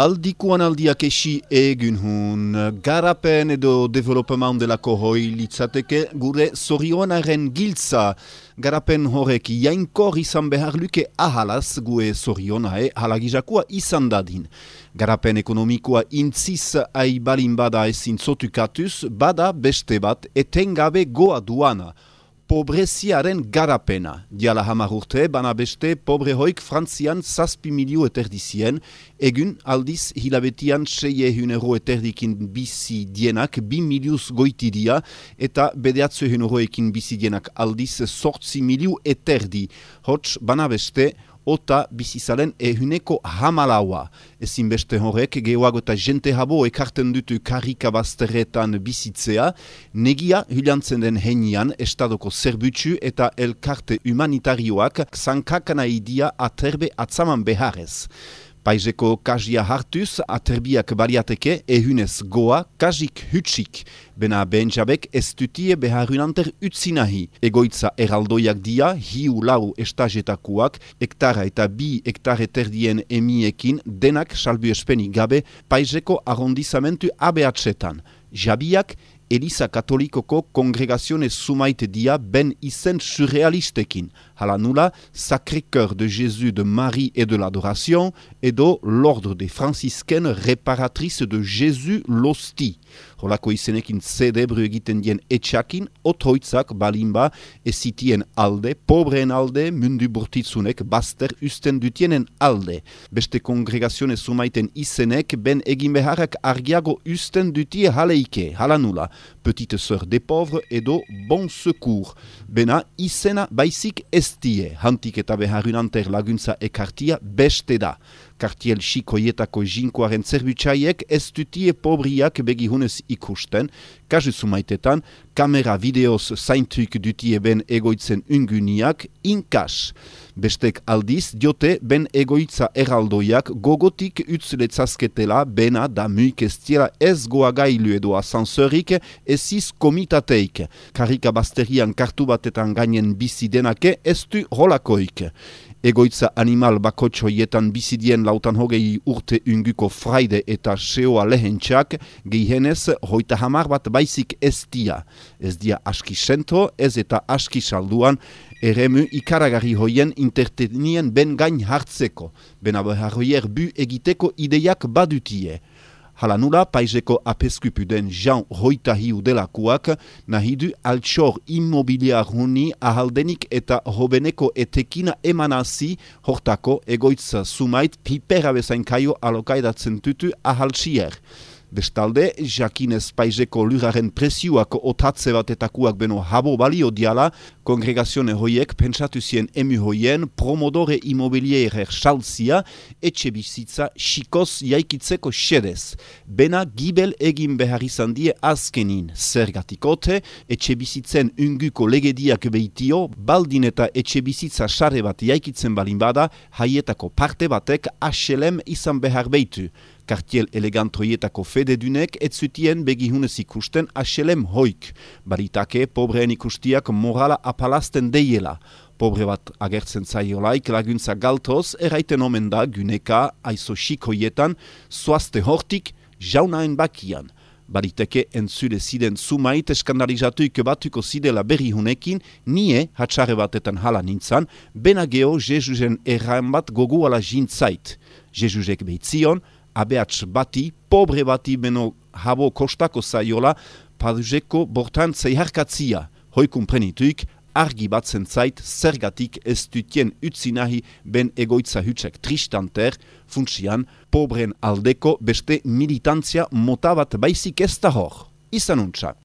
Aldikuan aldiak esi egin hun, garapen edo development delako hoi litzateke gure zorionaren giltza. Garapen horrek jainkor izan behar luke ahalaz gue zorionae halagijakua izan dadin. Garapen ekonomikoa intziz aibalin bada ezin zotukatuz, bada beste bat etengabe goa duana. Pobreziaren garapena. Diala 10 urte, bana beste pobre hoik Frantzian 7 milioi eterdizien, egun aldiz hilabetian 600 euro eterdikin bizi dienak 2 miliuz goitidia, eta 900 euroekin bizi dienak aldiz 8 miliu eterdi. Hots, bana beste, ota bizizalen ehuneko 10. Ezin beste horrek, gehoago eta jente habo ekarten dutu karika bazterretan bizitzea, negia hilantzen den henian estadoko zerbutsu eta elkarte humanitarioak zankakana idia aterbe atzaman beharrez. Paizeko kajia hartuz, aterbiak baliateke ehunez goa, kajik hutsik. Bena benjabek ez dutie beharunanter utzinahi. Egoitza eraldoiak dia, hiu lau estajetakuak, hektara eta 2 hektare terdien emiekin, denak salbu espeni gabe, paizeko arrondizamentu abeatsetan. Jabiak, Eliza Katolikoko kongregazione sumaite dia ben izen surrealistekin. Hala nula, Sacré-Cœur de Jésus de Marie et de l'Adoration edo l'Ordre des Franciscaines Réparatrices de Jésus l'Hostie. Holako izenekin zedebru egiten dien etxakin, otroitzak balimba ezitien alde, pobreen alde, mundu burtitzunek bazter usten dutienen alde. Beste kongregazione sumaiten izenek ben egin beharrak argiago usten dutie haleike, hala nula. Petite Sœur des Pauvres edo Bon Secours. Bena izena baizik ez die, hantik eta beharunanter laguntza ekartia beste da. Kartiel xikoietako jinkoaren zerbutsaiek ez dutie pobriak begihunez ikusten, kasu sumaitetan, kamera videoz zaintuk dutie ben egoitzen unguniak inkas. Bestek aldiz diote ben egoitza eraldoiak gogotik utzletzazketela bena da muik estiela ez goagailu edo asansorik eziz komitateik. Karika basterian kartu batetan gainen bizi denake ez du rolakoik. Egoitza animal bakotxoietan bizidien 20 urte unguko fraide eta seoa lehentxak, gehienez 30 bat baizik ez dia. Ez dia aski sentro, ez eta aski salduan, eremu ikaragarri hoien intertenien ben gain hartzeko, bena beharroier bu egiteko ideiak badutie. Hala nula, paizeko apeskupu den Jean Hoitahiu delakuak nahidu altxor immobiliar huni ahaldenik eta hobeneko etekina emanazi hortako egoitza sumait pipera bezain kaio alokaidatzen tutu ahaltsier. Bestalde, jakinez paizeko luraren presioak otatze batetakuak beno habo balio diala, kongregazione hoiek pentsatu zien emu hoien promodore immobilierer saltzia etxe bizitza xikoz jaikitzeko xedez. Bena gibel egin behar izan die azkenin. Zergatikote, etxe bizitzen unguko legediak behitio, baldin eta etxe bizitza sare bat jaikitzen balin bada, haietako parte batek HLM izan behar behitu. Kartiel elegantroietako fededunek ez zutien begihunez ikusten HLM hoik. Baritake pobreen ikustiak morala apalazten deiela. Pobre bat agertzen zaiolaik laguntza galtoz eraiten omen da guneka aizo xikoietan zoazte hortik jaunaen bakian. Bariteke entzule ziden sumait eskandalizatuik batuko zidela berrihunekin, nie hatxare batetan hala nintzan, bena geho Jesusen erran bat goguala jintzait. Jesusek behitzion, abeats bati, pobre bati beno habo kostako zaiola, paduzeko bortan zeiharkatzia. Hoikun prenituik, argi batzen zait, zergatik ez dutien utzinahi ben egoitza hutsek tristanter, funtsian, pobren aldeko beste militantzia mota bat baizik ez da hor. Izan untsa.